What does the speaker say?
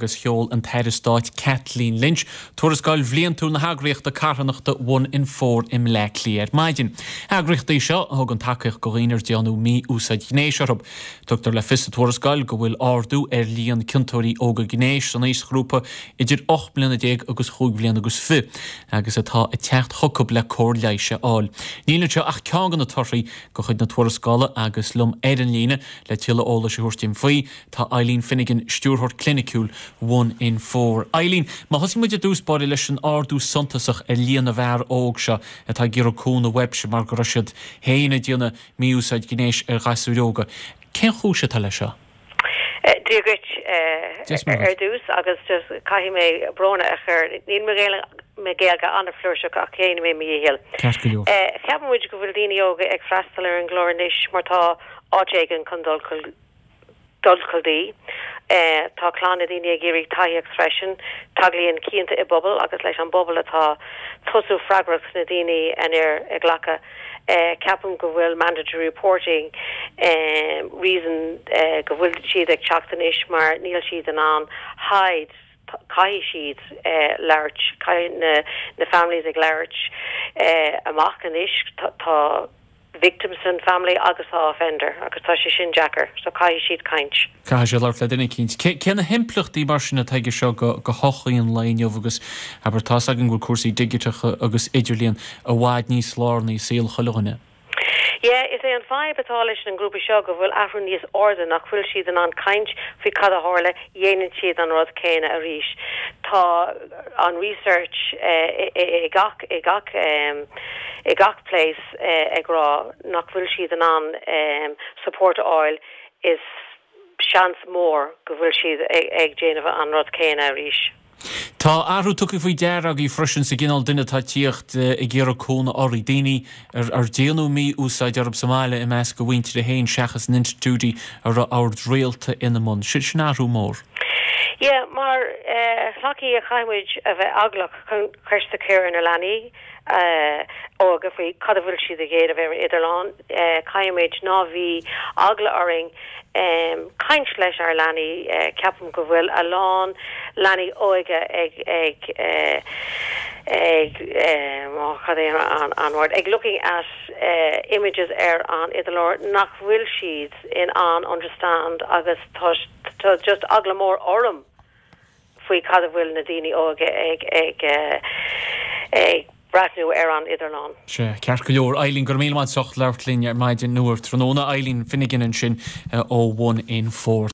Agus sheol an tAire Stáit Kathleen Lynch tuarascáil bhliantúil na heagraíochta carthanachta One in Four i mBleá Cliath ar maidin. Eagraíocht í seo a thugann tacaíocht do dhaoine ar déanadh mí-úsáid ghnéis orthu. Tugtar le fios sa tuarascáil go bhfuil ardú ar líon ciontóirí óga gnéis san aoisghrúpa idir 18 mbliana agus chúig bhliana agus fi agus atá ag teacht chucu le cóir leighis a fháil. Níl anseo ach ceann de na torthaí de chuid na tuarascála agus liom ar an líne le tuilleadh eolais a thabhairt dúinn faoi, Tá Eileen Finnegan, Stiúrthóir Cliniciúil One in Four. Eileen, má thosaíonn muid i dtús báire leis an ardú suntasach ar líon na bhfear óg seo atá ag iarraidh cúnamh uaibhse mar go raibh siad féin ag déanamh mí-úsáid ghnéis ar ghasúir óga. Cén chúis atá leis seo? Dia dhuit ar dtús agus just caithfidh mé brón a chur, níl mo Ghaeilge an-fhlúirseach ach déanfaidh mé mo dhícheall. Ceart go leor. Ceapann muid go bhfuil daoine óga ag freastal ar an gclár anois mar tá áit éigin chun dul dul dtí. Tá clann na daoine ag iarraidh tacaíocht freisin. Tarlaíonn cionta i bpobal agus leis an bpobal atá tosú freagracht na daoine anoir a ghlacadh. Ceapaim go bhfuil mandatory reporting reason go bhfuil siad ag teacht anois mar níl siad in ann hide caithfidh siad labhairt, caithfidh na families ag labhairt amach anois. Tá victim san family agus tá offender agus tá sé sin deacair so caithfidh siad caint. Caithfidh siad labhairt le duine eicínt. Cé na himpleachtaí mar sin atá aige seo go shochaí an lae inniu agus abair tá's againn go bhfuil cúrsaí digiteacha agus idirlíon i bhfad níos lárnaí i saol chuile dhuine. Yeah, is é an fadhb atá leis an ngrúpa seo go bhfuil athrú níos airde nach bhfuil siad in ann caint faoi cad a tharla, dhéanann siad an rud céanna arís. Tá an research i gach i gach i gach place ag rá nach bhfuil siad in ann support a fháil is seans mór go bhfuil siad ag déanamh an rud céanna arís. Tá athrú tugtha faoi deara agaibh freisin sa gcineál duine atá ag tíocht ag iarraidh cúnamh oraibh, daoine ar déanadh mí-úsáid orthu sa mbaile i measc a mhuintire féin seachas in institiúidí a raibh ord rialta ina mbun. Sin athrú mór. Yeah, mar shochaí caithfidh muid a bheith eaglach chun ceist a chur ar na leanaí óga faoi cad a bhfuil siad ag déanamh ar an idirlíon. Caithfimid ná bhí eagla orainn caint leis ár leanaí. Ceapaim go bhfuil a lán leanaí óga ag ag ag cad é an word ag looking at images ar an idirlíon nach bhfuil siad in ann understand agus tá tá just eagla mór orm faoi cad a bhfuil na daoine óga ag ag ag breathnú ar an idirlíon. Sea, ceart go leor. Eileen, go raibh míle maith as ucht labhairt linn ar maidin nó ar tráthnóna. Eileen Finnegan ansin ó One in Four.